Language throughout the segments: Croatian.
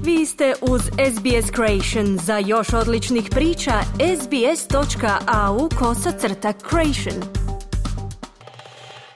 Vi ste uz SBS Creation. Za još odličnih priča, sbs.au/creation.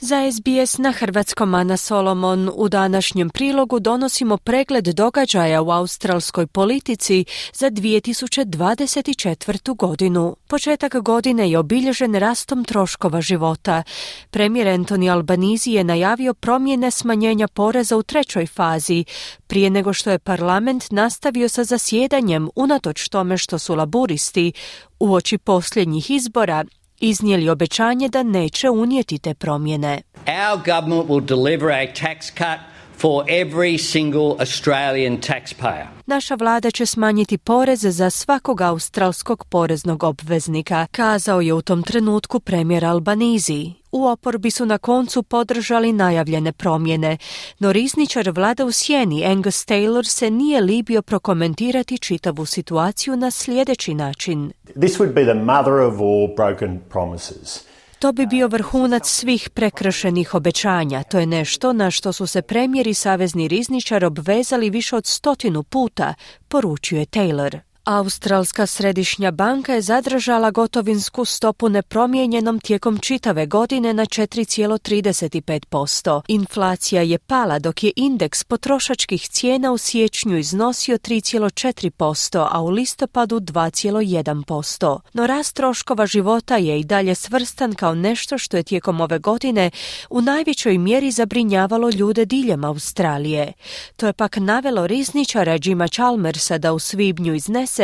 Za SBS na hrvatskom Ana Solomon u današnjem prilogu donosimo pregled događaja u australskoj politici za 2024. godinu. Početak godine je obilježen rastom troškova života. Premijer Anthony Albanese je najavio promjene smanjenja poreza u trećoj fazi, prije nego što je parlament nastavio sa zasjedanjem unatoč tome što su laburisti uoči posljednjih izbora iznijeli obećanje da neće unijeti te promjene. Our government will deliver a tax cut for every single Australian taxpayer. Naša vlada će smanjiti porez za svakog australskog poreznog obveznika, kazao je u tom trenutku premijer Albanese. U oporbi su na koncu podržali najavljene promjene, no rizničar vlada u sjeni Angus Taylor se nije libio prokomentirati čitavu situaciju na sljedeći način. This would be the mother of all broken promises. To bi bio vrhunac svih prekršenih obećanja. To je nešto na što su se premijer i savezni rizničar obvezali više od 100 puta, poručio je Taylor. Australska središnja banka je zadržala gotovinsku stopu nepromijenjenom tijekom čitave godine na 4,35%. Inflacija je pala dok je indeks potrošačkih cijena u siječnju iznosio 3,4%, a u listopadu 2,1%. No rast troškova života je i dalje svrstan kao nešto što je tijekom ove godine u najvećoj mjeri zabrinjavalo ljude diljem Australije. To je pak navelo rizničara Jima Chalmersa da u svibnju iznese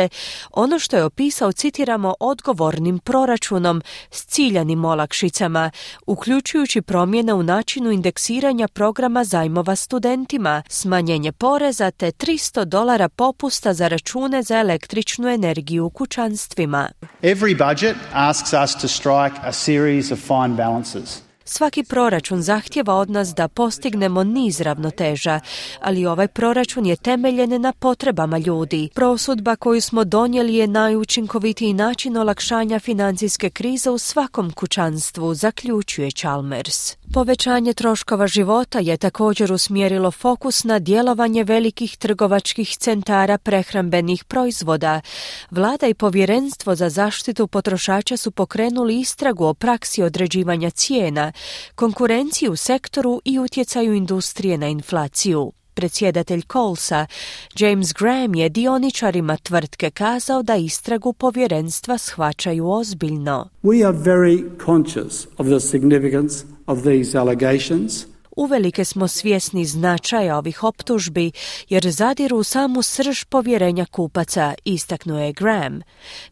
ono što je opisao, citiramo, odgovornim proračunom s ciljanim olakšicama, uključujući promjene u načinu indeksiranja programa zajmova studentima, smanjenje poreza te $300 popusta za račune za električnu energiju u kućanstvima. Every budget asks us to strike a series of fine balances. Svaki proračun zahtjeva od nas da postignemo niz ravnoteža, ali ovaj proračun je temeljen na potrebama ljudi. Prosudba koju smo donijeli je najučinkovitiji način olakšanja financijske krize u svakom kućanstvu, zaključuje Chalmers. Povećanje troškova života je također usmjerilo fokus na djelovanje velikih trgovačkih centara prehrambenih proizvoda. Vlada i Povjerenstvo za zaštitu potrošača su pokrenuli istragu o praksi određivanja cijena, konkurenciju u sektoru i utjecaju industrije na inflaciju. Predsjedatelj Colesa, James Graham, je dioničarima tvrtke kazao da istragu povjerenstva shvaćaju ozbiljno. We are very conscious of the significance of these allegations. Uvelike smo svjesni značaja ovih optužbi jer zadiru u samu srž povjerenja kupaca, istaknuo je Graham.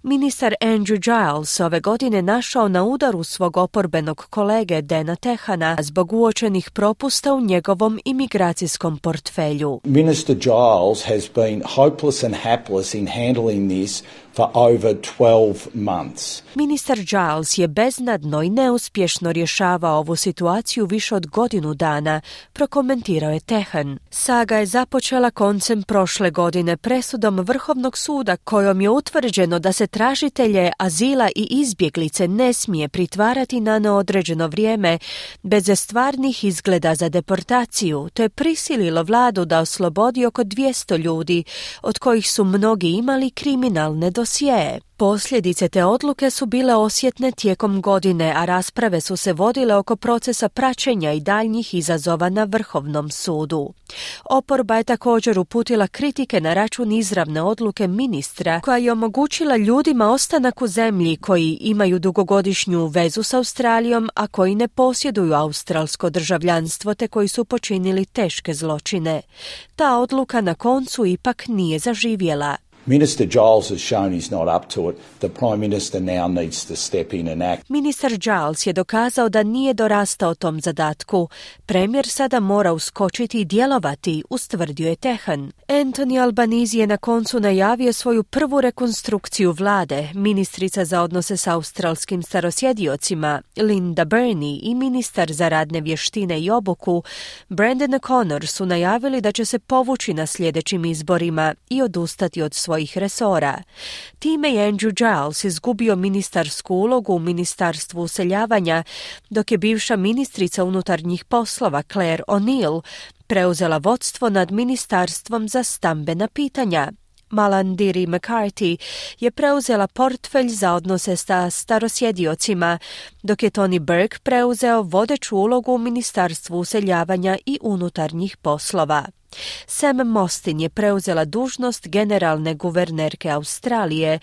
Ministar Andrew Giles ove godine našao na udaru svog oporbenog kolege Dana Tehana zbog uočenih propusta u njegovom imigracijskom portfelju. Minister Giles has been hopeless and hapless in handling this for over 12 months. Ministar Giles je beznadno i neuspješno rješavao ovu situaciju više od godinu dana, prokomentirao je Tehan. Saga je započela koncem prošle godine presudom Vrhovnog suda kojom je utvrđeno da se tražitelje azila i izbjeglice ne smije pritvarati na neodređeno vrijeme bez stvarnih izgleda za deportaciju. To je prisililo vladu da oslobodi oko 200 ljudi, od kojih su mnogi imali kriminalne dosjee. Posljedice te odluke su bile osjetne tijekom godine, a rasprave su se vodile oko procesa praćenja i daljnjih izazova na Vrhovnom sudu. Oporba je također uputila kritike na račun izravne odluke ministra koja je omogućila ljudima ostanak u zemlji koji imaju dugogodišnju vezu s Australijom, a koji ne posjeduju australsko državljanstvo te koji su počinili teške zločine. Ta odluka na koncu ipak nije zaživjela. Minister Giles has shown he's not up to it. The Prime Minister now needs to step in and act. Ministar Giles je dokazao da nije dorastao tom zadatku. Premijer sada mora uskočiti i djelovati, ustvrdio je Tehan. Anthony Albanese je na koncu najavio svoju prvu rekonstrukciju vlade. Ministrica za odnose s australskim starosjediocima Linda Burney i ministar za radne vještine i obuku Brandon O'Connor su najavili da će se povući na sljedećim izborima i odustati od svojih resora. Time je Andrew Giles izgubio ministarsku ulogu u Ministarstvu useljavanja, dok je bivša ministrica unutarnjih poslova Claire O'Neill preuzela vodstvo nad Ministarstvom za stambena pitanja. Malandiri McCarthy je preuzela portfelj za odnose sa starosjediocima, dok je Tony Burke preuzeo vodeću ulogu u Ministarstvu useljavanja i unutarnjih poslova. Sam Mostyn je preuzela dužnost generalne guvernerke Australije,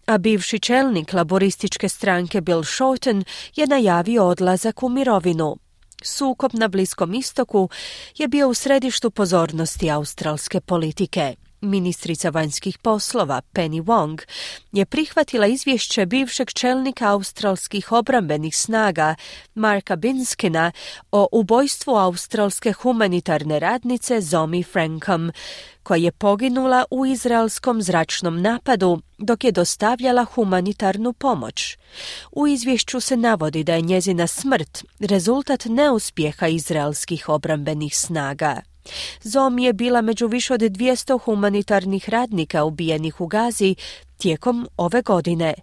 a bivši čelnik laborističke stranke Bill Shorten je najavio odlazak u mirovinu. Sukob na Bliskom istoku je bio u središtu pozornosti australske politike. Ministrica vanjskih poslova Penny Wong je prihvatila izvješće bivšeg čelnika australskih obrambenih snaga Marka Binskina o ubojstvu australske humanitarne radnice Zoe Frankham, koja je poginula u izraelskom zračnom napadu dok je dostavljala humanitarnu pomoć. U izvješću se navodi da je njezina smrt rezultat neuspjeha izraelskih obrambenih snaga. Zoe je bila među više od 200 humanitarnih radnika ubijenih u Gazi tijekom ove godine.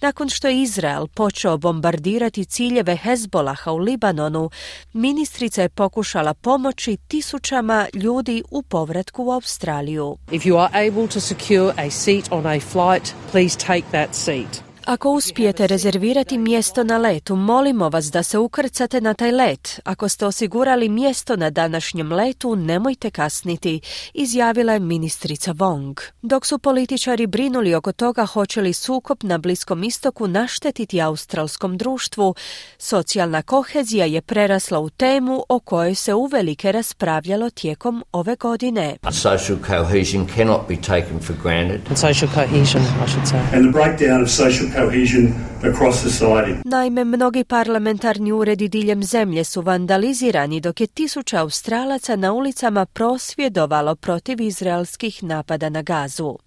Nakon što je Izrael počeo bombardirati ciljeve Hezbolaha u Libanonu, ministrica je pokušala pomoći tisućama ljudi u povratku u Australiju. If you are able to secure a seat on a flight, please take that seat. Ako uspijete rezervirati mjesto na letu, molimo vas da se ukrcate na taj let. Ako ste osigurali mjesto na današnjem letu, nemojte kasniti, izjavila je ministrica Wong. Dok su političari brinuli oko toga hoće li sukob na Bliskom istoku naštetiti australskom društvu, socijalna kohezija je prerasla u temu o kojoj se uvelike raspravljalo tijekom ove godine. Social cohesion cannot be taken for granted. And social cohesion, I should say. And the breakdown of social cohesion across society. Naime, mnogi parlamentarni uredi diljem zemlje su vandalizirani dok je tisuća Australaca na ulicama prosvjedovalo protiv izraelskih napada na Gazu.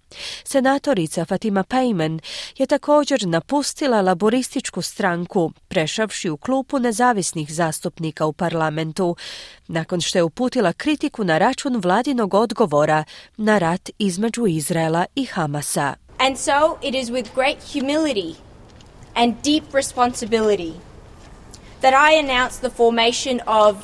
Senatorica Fatima Payman je također napustila laborističku stranku, prešavši u klupu nezavisnih zastupnika u parlamentu, nakon što je uputila kritiku na račun vladinog odgovora na rat između Izraela i Hamasa. And so it is with great humility and deep responsibility that I announce the formation of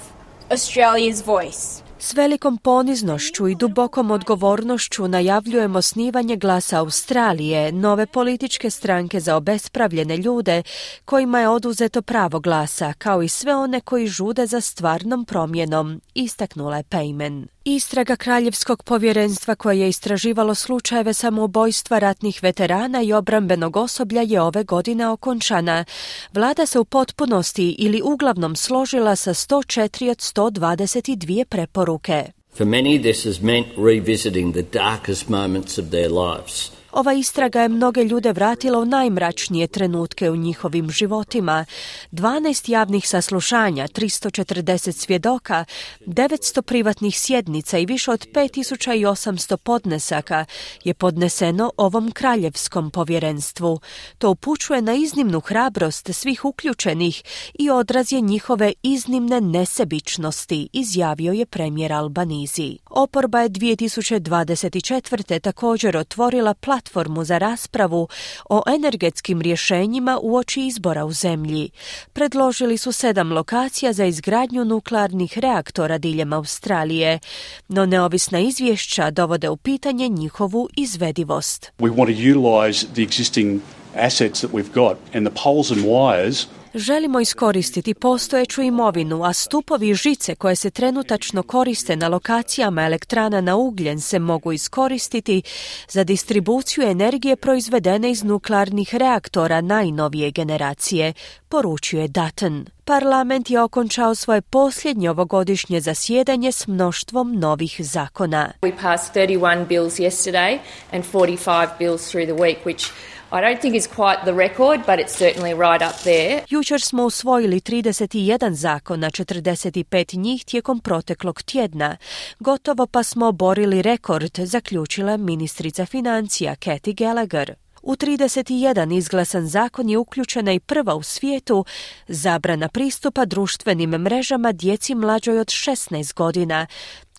Australia's Voice. S velikom poniznošću i dubokom odgovornošću najavljujem osnivanje Glasa Australije, nove političke stranke za obespravljene ljude kojima je oduzeto pravo glasa, kao i sve one koji žude za stvarnom promjenom, istaknula je Payman. Istraga Kraljevskog povjerenstva koje je istraživalo slučajeve samoubojstva ratnih veterana i obrambenog osoblja je ove godine okončana. Vlada se u potpunosti ili uglavnom složila sa 104 od 122 preporuke. For many, this has meant revisiting the darkest moments of their lives. Ova istraga je mnoge ljude vratila u najmračnije trenutke u njihovim životima. 12 javnih saslušanja, 340 svjedoka, 900 privatnih sjednica i više od 5800 podnesaka je podneseno ovom kraljevskom povjerenstvu. To upućuje na iznimnu hrabrost svih uključenih i odraz je njihove iznimne nesebičnosti, izjavio je premijer Albanizi. Oporba je 2024. također otvorila platformu za raspravu o energetskim rješenjima uoči izbora u zemlji. Predložili su 7 lokacija za izgradnju nuklearnih reaktora diljem Australije, no neovisna izvješća dovode u pitanje njihovu izvedivost. We want to utilise the existing assets that we've got and the poles and wires. Želimo iskoristiti postojeću imovinu, a stupovi i žice koje se trenutačno koriste na lokacijama elektrana na ugljen se mogu iskoristiti za distribuciju energije proizvedene iz nuklearnih reaktora najnovije generacije, poručuje Dutton. Parlament je okončao svoje posljednje ovogodišnje zasjedanje s mnoštvom novih zakona. We passed 31 bills yesterday and 45 bills through the week, which I don't think is quite the record, but it's certainly right up there. Jučer smo usvojili 31 zakona, 45 njih tijekom proteklog tjedna. Gotovo pa smo oborili rekord, zaključila ministrica financija Kathy Gallagher. U 31 izglasan zakon je uključena i prva u svijetu zabrana pristupa društvenim mrežama djeci mlađoj od 16 godina,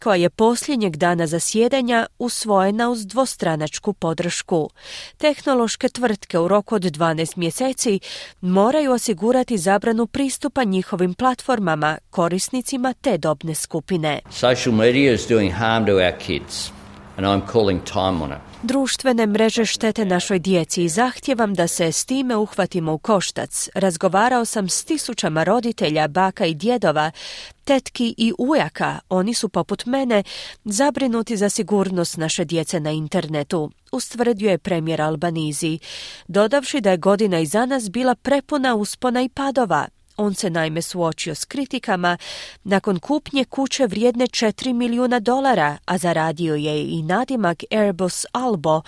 koja je posljednjeg dana zasjedanja usvojena uz dvostranačku podršku. Tehnološke tvrtke u roku od 12 mjeseci moraju osigurati zabranu pristupa njihovim platformama, korisnicima te dobne skupine. Social media is doing harm to our kids, and I'm calling time on it. Društvene mreže štete našoj djeci i zahtijevam da se s time uhvatimo u koštac. Razgovarao sam s tisućama roditelja, baka i djedova, tetki i ujaka. Oni su poput mene zabrinuti za sigurnost naše djece na internetu, ustvrdio je premijer Albanizi, dodavši da je godina iza nas bila prepuna uspona i padova. On se naime suočio s kritikama nakon kupnje kuće vrijedne $4 milijuna, a zaradio je i nadimak Airbus Albo,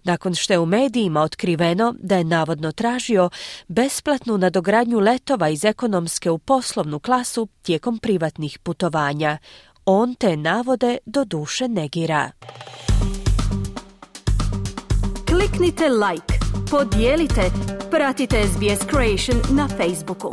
nakon što je u medijima otkriveno da je navodno tražio besplatnu nadogradnju letova iz ekonomske u poslovnu klasu tijekom privatnih putovanja. On te navode doduše negira. Kliknite like, podijelite, pratite SBS Creation na Facebooku.